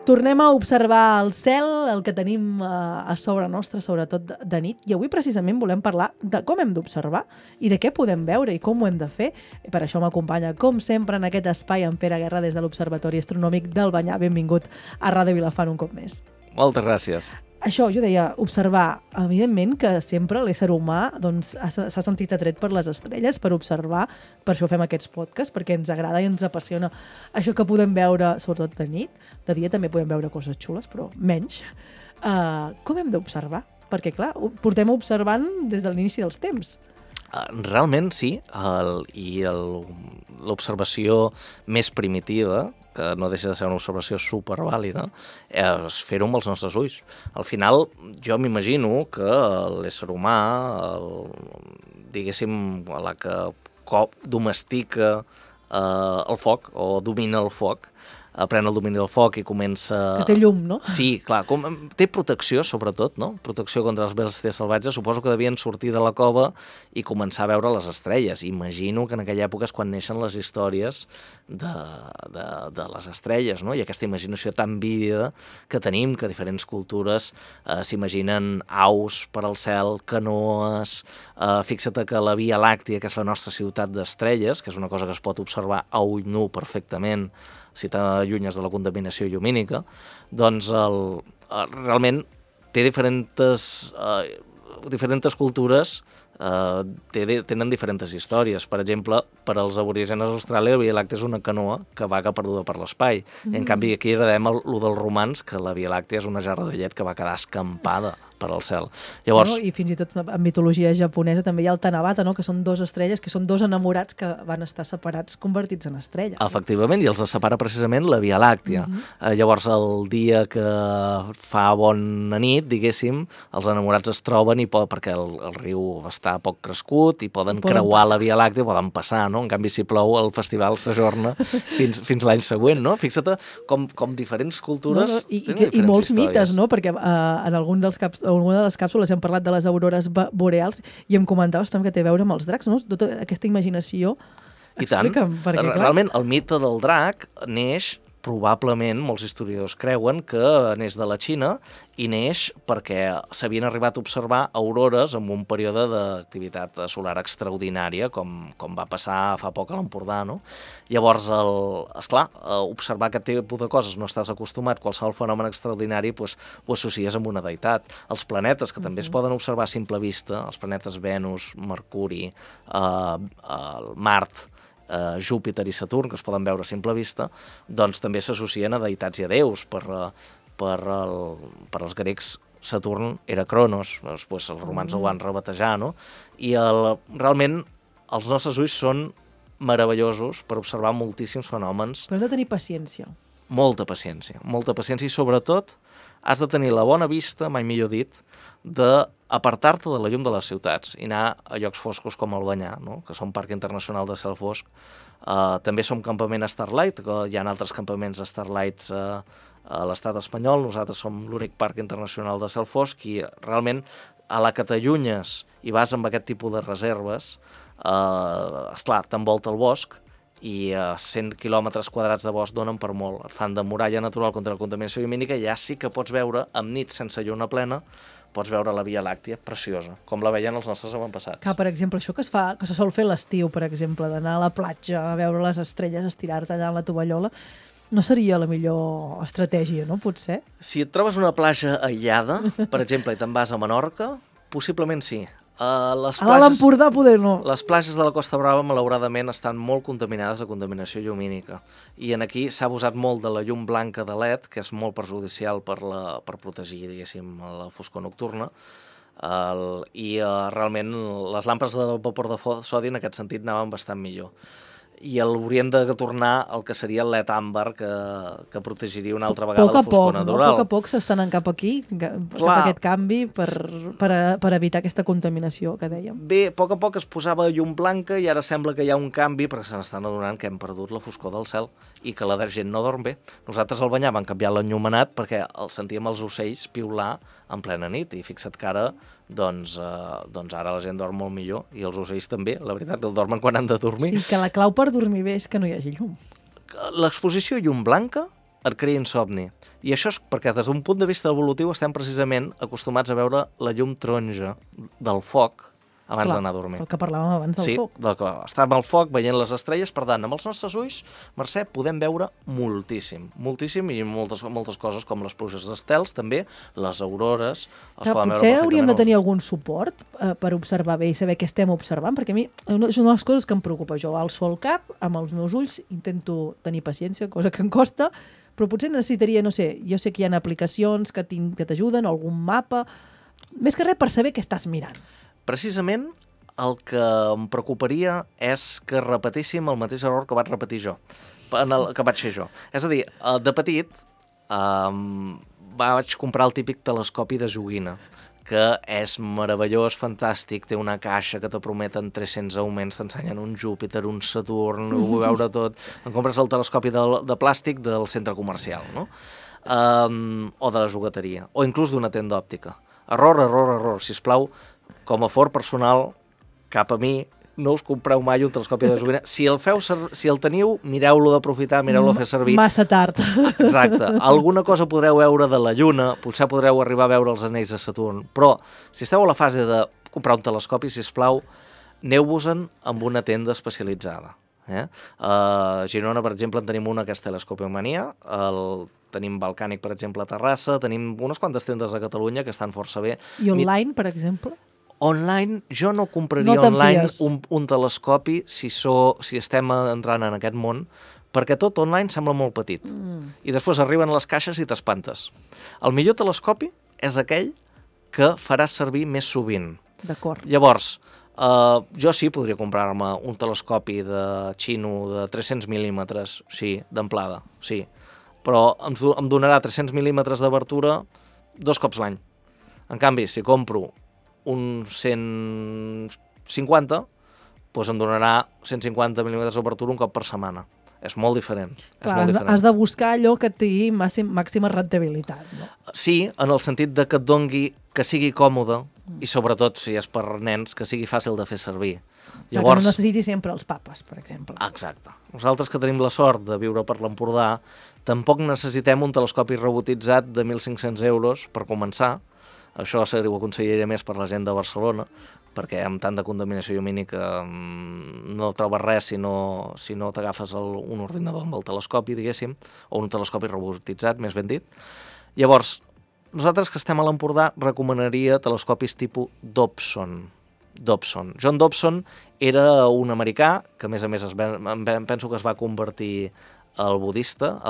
Tornem a observar el cel, el que tenim a sobre nostre, sobretot de nit, i avui precisament volem parlar de com hem d'observar i de què podem veure i com ho hem de fer. I per això m'acompanya, com sempre, en aquest espai en Pere Guerra des de l'Observatori Astronòmic del Banyar. Benvingut a Ràdio Vilafant un cop més. Moltes gràcies. Això, jo deia, observar. Evidentment que sempre l'ésser humà doncs, s'ha sentit atret per les estrelles, per observar, per això fem aquests podcasts, perquè ens agrada i ens apassiona això que podem veure, sobretot de nit. De dia també podem veure coses xules, però menys. Com hem d'observar? Perquè, clar, portem observant des de l'inici dels temps. Realment sí, l'observació més primitiva, que no deixa de ser una observació supervàlida, és fer-ho amb els nostres ulls. Al final, jo m'imagino que l'ésser humà, diguéssim, la que domestica el foc o domina el foc, pren el domini del foc i comença... Que té llum, no? Sí, clar, té protecció, sobretot, no? Protecció contra les bèsties salvatges. Suposo que devien sortir de la cova i començar a veure les estrelles. Imagino que en aquella època és quan neixen les històries de les estrelles, no? I aquesta imaginació tan vívida que tenim, que diferents cultures s'imaginen aus per al cel, canoes... Fixa't que la Via Làctia, que és la nostra ciutat d'estrelles, que és una cosa que es pot observar a ull nu perfectament, si t'allunyes de la contaminació llumínica, doncs realment té diferents cultures, tenen diferents històries. Per exemple, per als aborígens d'Austràlia, la Via Làctia és una canoa que vaga perduda per l'espai. I en canvi aquí heredem el dels romans, que la Via Làctia és una jarra de llet que va quedar escampada per al cel. Llavors... I fins i tot en mitologia japonesa també hi ha el Tanabata, no? Que són dos estrelles, que són dos enamorats que van estar separats, convertits en estrelles. Efectivament, i els separa precisament la Via Làctia. Llavors, el dia que fa bona nit, diguéssim, els enamorats es troben perquè el riu està poc crescut i poden creuar la Via Làctia, poden passar, no? En canvi, si plou, el festival s'ajorna fins l'any següent, no? Fixa't com diferents cultures tenen diferents i molts històries. mites, no? Perquè en alguna de les càpsules hem parlat de les aurores boreals i em comentaves també que té a veure amb els dracs, no? Tota aquesta imaginació. I tant. Explica'm, perquè, clar... Realment, el mite del drac neix, probablement, molts historiadors creuen que neix de la Xina i neix perquè s'havien arribat a observar aurores en un període d'activitat solar extraordinària, com va passar fa poc a l'Empordà, no? Llavors, esclar, observar aquest tipus de coses, no estàs acostumat, qualsevol fenomen extraordinari ho associes amb una deïtat. Els planetes, que també es poden observar a simple vista, els planetes Venus, Mercuri, Mart, Júpiter i Saturn, que es poden veure a simple vista, doncs també s'associen a deïtats i a déus. Per als grecs, Saturn era Cronos, després els romans ho van rebatejar, no? I realment els nostres ulls són meravellosos per observar moltíssims fenòmens. Però hem de tenir paciència. Molta paciència i sobretot has de tenir la bona vista, mai millor dit, d'apartar-te de la llum de les ciutats i anar a llocs foscos com el Banyar, no? Que som Parc Internacional de Cel Fosc. També som campament Starlight, que hi ha altres campaments Starlights a l'estat espanyol. Nosaltres som l'únic Parc Internacional de Cel Fosc i realment a la que t'allunyes i vas amb aquest tipus de reserves, esclar, t'envolta el bosc i 100 quilòmetres quadrats de bosc donen per molt. Et fan de muralla natural contra la contaminació llumínica i ja sí que pots veure, amb nit sense lluna plena, pots veure la Via Làctia preciosa, com la veien els nostres avantpassats. Que, per exemple, això que se sol fer l'estiu, per exemple, d'anar a la platja a veure les estrelles, estirar-te allà en la tovallola, no seria la millor estratègia, no? Potser? Si et trobes una platja aïllada, per exemple, i te'n vas a Menorca, possiblement sí. A l'Empordà poder no. Les platges de la Costa Brava, malauradament, estan molt contaminades de contaminació llumínica. I aquí s'ha abusat molt de la llum blanca de LED, que és molt perjudicial per protegir, diguéssim, la foscor nocturna. Realment les làmpades de vapor de sodi en aquest sentit anaven bastant millor. I haurien de tornar al que seria el LED àmbar, que protegiria una altra vegada la foscor natural. A poc a poc s'estan anant cap aquí, cap a aquest canvi, per evitar aquesta contaminació que dèiem. Bé, a poc es posava llum blanca i ara sembla que hi ha un canvi perquè se n'estan adonant que hem perdut la foscor del cel i que la gent no dorm bé. Nosaltres al Banyar vam canviar l'enllumenat perquè sentíem els ocells piular en plena nit i fixa't que ara doncs ara la gent dorm molt millor i els ocells també, la veritat, que el dormen quan han de dormir. Sí, que la clau per dormir bé és que no hi hagi llum. L'exposició a llum blanca et crea insomni. I això és perquè des d'un punt de vista evolutiu estem precisament acostumats a veure la llum taronja del foc abans d'anar a dormir. El que parlàvem abans del foc. Sí, estàvem al foc veient les estrelles, per tant, amb els nostres ulls, Mercè, podem veure moltíssim i moltes coses com les pluges d'estels, també, les aurores, els podem veure Potser perfectament. hauríem de tenir algun suport per observar bé i saber què estem observant, perquè a mi és una de les coses que em preocupa. Jo alço el cap, amb els meus ulls, intento tenir paciència, cosa que em costa, però potser necessitaria, no sé, jo sé que hi ha aplicacions que t'ajuden, algun mapa, més que res per saber què estàs mirant. Precisament el que em preocuparia és que repetíssim el mateix error que vaig repetir jo, que vaig fer jo. És a dir, de petit vaig comprar el típic telescopi de joguina, que és meravellós, fantàstic, té una caixa que te prometen 300 augments, t'ensenyen un Júpiter, un Saturn, ho vull veure tot. Em compres el telescopi de plàstic del centre comercial, no? O de la jugueteria, o inclús d'una tenda òptica. Error, sisplau, com a fort personal, cap a mi, no us compreu mai un telescopi de joguina. Si el teniu, mireu-lo d'aprofitar, mireu-lo a fer servir. Massa tard. Exacte. Alguna cosa podreu veure de la Lluna, potser podreu arribar a veure els anells de Saturn, però si esteu a la fase de comprar un telescopi, sisplau, aneu-vos-en amb una tenda especialitzada. A Girona, per exemple, en tenim una que és Telescopiomania, tenim Balcànic, per exemple, a Terrassa, tenim unes quantes tendes a Catalunya que estan força bé. I online, per exemple? Online, jo no compraria online un telescopi si estem entrant en aquest món, perquè tot online sembla molt petit. I després arriben les caixes i t'espantes. El millor telescopi és aquell que faràs servir més sovint. D'acord. Llavors, jo sí podria comprar-me un telescopi de xino de 300 mil·límetres, sí, d'amplada, sí, però em donarà 300 mil·límetres d'obertura 2 cops l'any. En canvi, si compro un 150, doncs em donarà 150 mil·límetres d'obertura un cop per setmana. És molt diferent. Clar, has de buscar allò que tingui màxima rendibilitat. No? Sí, en el sentit de que et dongui, que sigui còmode, i sobretot, si és per nens, que sigui fàcil de fer servir. Llavors, que no necessiti sempre els papes, per exemple. Exacte. Nosaltres que tenim la sort de viure per l'Empordà, tampoc necessitem un telescopi robotitzat de 1.500 euros per començar. Això ho aconsellaria més per la gent de Barcelona, perquè amb tant de contaminació llumínica no trobes res si no t'agafes un ordinador amb el telescopi, diguéssim, o un telescopi robotitzat, més ben dit. Llavors, nosaltres que estem a l'Empordà recomanaria telescopis tipus Dobson. John Dobson era un americà que, a més, penso que es va convertir al budisme,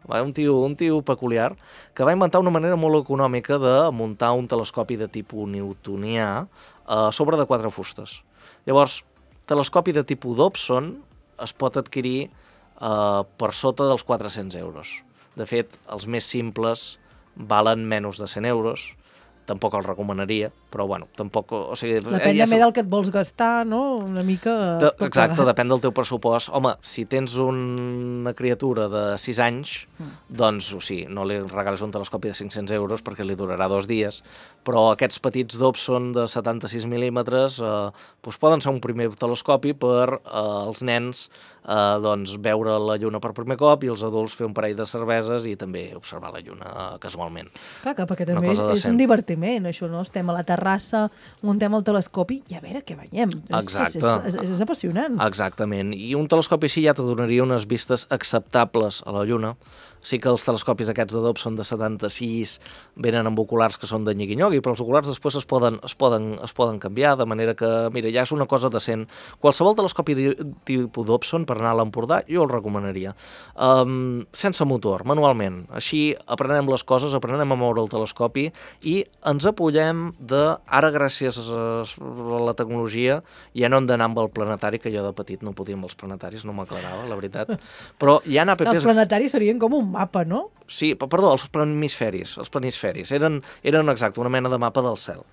un tio peculiar, que va inventar una manera molt econòmica de muntar un telescopi de tipus newtonià a sobre de 4 fustes. Llavors, telescopi de tipus Dobson es pot adquirir per sota dels 400 euros. De fet, els més simples valen menys de 100 euros, tampoc el recomanaria, però bueno, tampoc... O sigui, depèn també del que et vols gastar, no? Una mica... Exacte, depèn del teu pressupost. Home, si tens una criatura de 6 anys, doncs, o sigui, no li regales un telescopi de 500 euros perquè li durarà 2 dies, però aquests petits Dobson de 76 mil·límetres poden ser un primer telescopi per als nens veure la lluna per primer cop i els adults fer un parell de cerveses i també observar la lluna casualment. Clar, perquè també és un divertiment, això, no? Estem a la terrassa, muntem el telescopi i a veure què veiem. Exacte. És apassionant. Exactament. I un telescopi així ja te donaria unes vistes acceptables a la lluna. Sí que els telescopis aquests de Dobson de 76 venen amb oculars que són de nyigui-nyogui, però els oculars després es poden canviar, de manera que, mira, ja és una cosa decent. Qualsevol telescopi tipus Dobson per anar a l'Empordà jo el recomanaria. Sense motor, manualment. Així aprenem les coses, aprenem a moure el telescopi i ens apoyem ara gràcies a la tecnologia ja no hem d'anar amb el planetari, que jo de petit no podia amb els planetaris, no m'aclarava, la veritat. Però hi ha apps... Els planetaris serien com un mapa, no? Sí, perdó, els planisferis. Eren exacte, una mena de mapa del cel.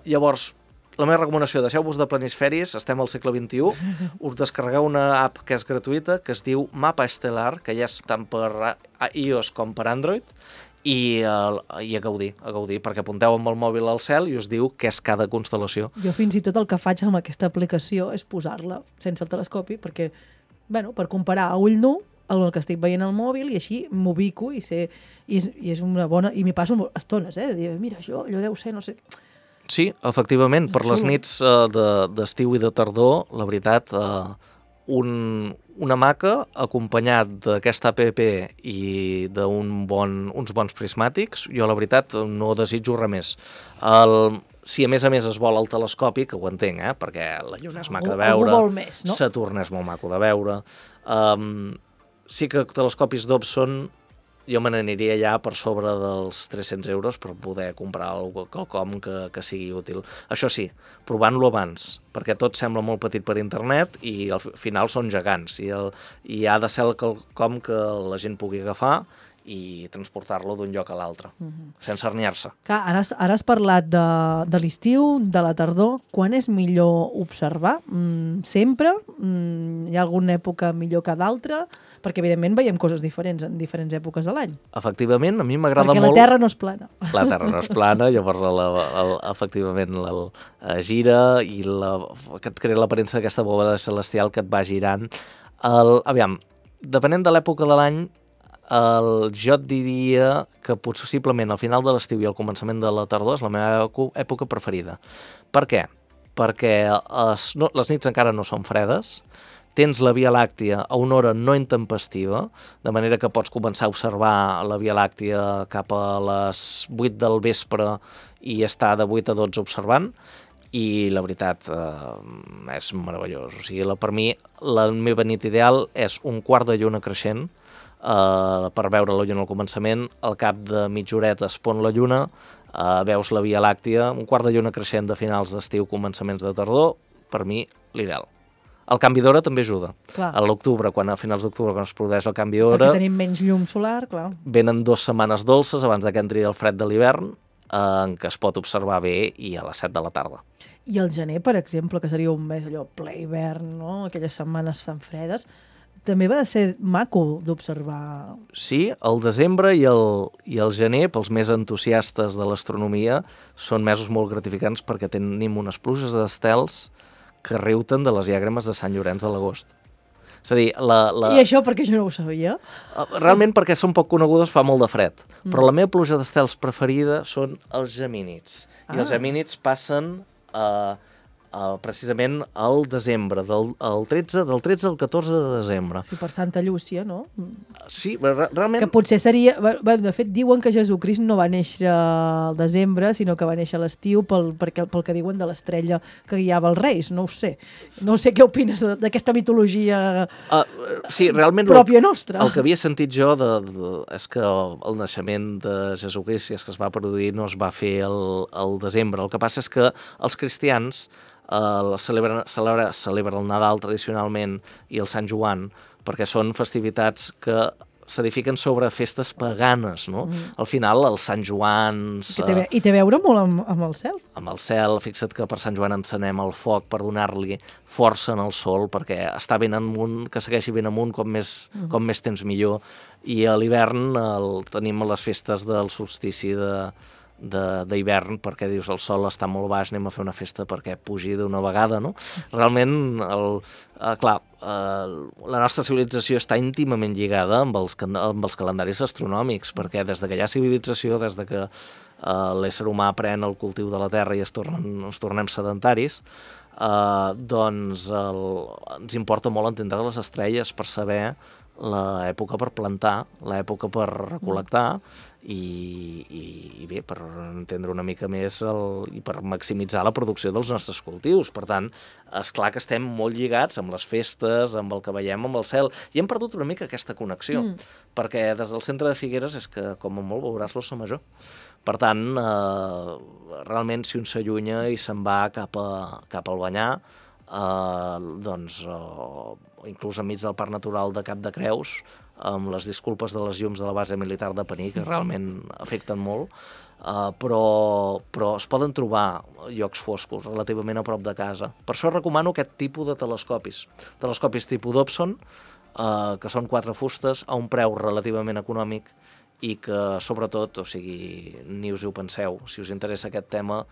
Llavors, la meva recomanació, deixeu-vos de planisferis, estem al segle XXI, us descarregueu una app que és gratuïta, que es diu Mapa Estelar, que ja és tant per iOS com per Android, i a gaudir, perquè apunteu amb el mòbil al cel i us diu què és cada constel·lació. Jo fins i tot el que faig amb aquesta aplicació és posar-la sense el telescopi, perquè, per comparar a ull nu, el que estic veient al mòbil i així m'ubico i és una bona... I m'hi passo estones, de dir, mira, allò deu ser, no sé... Sí, efectivament, per les nits d'estiu i de tardor, la veritat, una hamaca acompanyat d'aquesta app i d'uns bons prismàtics, jo la veritat no desitjo res més. Si a més es vol el telescopi, que ho entenc, perquè la lluna és maca de veure, no? Saturn és molt maco de veure, sí que telescopis Dobson jo me n'aniria ja per sobre dels 300 euros per poder comprar quelcom que sigui útil. Això sí, provant-lo abans, perquè tot sembla molt petit per internet i al final són gegants i ha de ser quelcom que la gent pugui agafar i transportar-lo d'un lloc a l'altre, sense herniar-se. Ara has parlat de l'estiu, de la tardor. Quan és millor observar? Sempre? Hi ha alguna època millor que d'altra? Perquè, evidentment, veiem coses diferents en diferents èpoques de l'any. Efectivament, a mi m'agrada molt... Perquè la Terra no és plana. La Terra no és plana, llavors efectivament gira i que et crea l'aparença d'aquesta bola celestial que et va girant. Aviam, depenent de l'època de l'any, jo et diria que possiblement al final de l'estiu i al començament de la tardor és la meva època preferida. Per què? Perquè les nits encara no són fredes, tens la Via Làctia a una hora no intempestiva, de manera que pots començar a observar la Via Làctia cap a les 8 del vespre i estar de 8 a 12 observant, i la veritat és meravellós. O sigui, per mi la meva nit ideal és un quart de lluna creixent, per veure la lluna al començament, al cap de mitja horeta es pon la lluna, veus la Via Làctia, un quart de lluna creixent de finals d'estiu, començaments de tardor, per mi l'ideal. El canvi d'hora també ajuda. Clar. A l'octubre, a finals d'octubre, quan es produeix el canvi d'hora... Perquè tenim menys llum solar, clar. Venen 2 setmanes dolces abans que entri el fred de l'hivern, en què es pot observar bé i a les 7 de la tarda. I el gener, per exemple, que seria un mes allò ple hivern, no? Aquelles setmanes tan fredes, també va ser maco d'observar. Sí, el desembre i el gener, pels més entusiastes de l'astronomia, són mesos molt gratificants perquè tenim unes pluges d'estels que riuten de les llàgrimes de Sant Llorenç de l'agost. És a dir, I això perquè jo no ho sabia? Realment perquè són poc conegudes, fa molt de fred. Però la meva pluja d'estels preferida són els gemínids. I els gemínids passen precisament al desembre, del 13 al 14 de desembre. Sí, per Santa Llúcia, no? Sí, realment... Que potser seria... De fet, diuen que Jesucrist no va néixer al desembre, sinó que va néixer a l'estiu pel que diuen de l'estrella que guiava els reis. No ho sé. No sé què opines d'aquesta mitologia sí, realment pròpia nostra. El que havia sentit jo és que el naixement de Jesucrist, si és que es va produir, no es va fer al desembre. El que passa és que els cristians celebren el Nadal tradicionalment i el Sant Joan perquè són festivitats que s'edifiquen sobre festes paganes, no? Al final, els Sant Joans... I té a veure molt amb el cel. Amb el cel, fixa't que per Sant Joan encenem el foc per donar-li força en el sol, perquè està ben amunt, que segueixi ben amunt, com més temps millor. I a l'hivern tenim les festes del solstici d'hivern, perquè dius el sol està molt baix, anem a fer una festa perquè pugi d'una vegada, no? Realment, la nostra civilització està íntimament lligada amb els calendaris astronòmics, perquè des que hi ha civilització, des que l'ésser humà pren el cultiu de la Terra i ens tornem sedentaris, doncs ens importa molt entendre les estrelles per saber l'època per plantar, l'època per recol·lectar i bé, per entendre una mica més i per maximitzar la producció dels nostres cultius. Per tant, és clar que estem molt lligats amb les festes, amb el que veiem amb el cel, i hem perdut una mica aquesta connexió, perquè des del centre de Figueres és que, com a molt, veuràs l'Ossa Major. Per tant, realment, si un s'allunya i se'n va cap al Banyar, doncs inclús enmig del Parc Natural de Cap de Creus, amb les disculpes de les llums de la base militar de Pení, que realment afecten molt, però es poden trobar llocs foscos relativament a prop de casa. Per això recomano aquest tipus de telescopis tipus Dobson, que són 4 fustes a un preu relativament econòmic i que, sobretot, o sigui, ni us ho penseu, si us interessa aquest tema,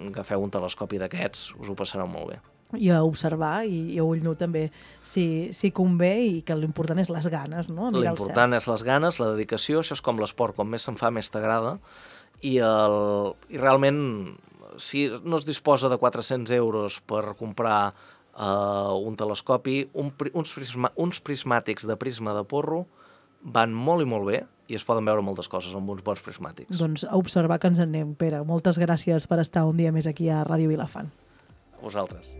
agafeu un telescopi d'aquests, us ho passareu molt bé. i a observar i a ull nu també si convé, i que l'important és les ganes, no? L'important és les ganes, la dedicació, això és com l'esport, com més se'n fa més t'agrada, i realment si no es disposa de 400 euros per comprar un telescopi, uns prismàtics de prisma de porro van molt i molt bé i es poden veure moltes coses amb uns bons prismàtics. Doncs a observar que ens en anem, Pere. Moltes gràcies per estar un dia més aquí a Ràdio Vilafant. Vosaltres.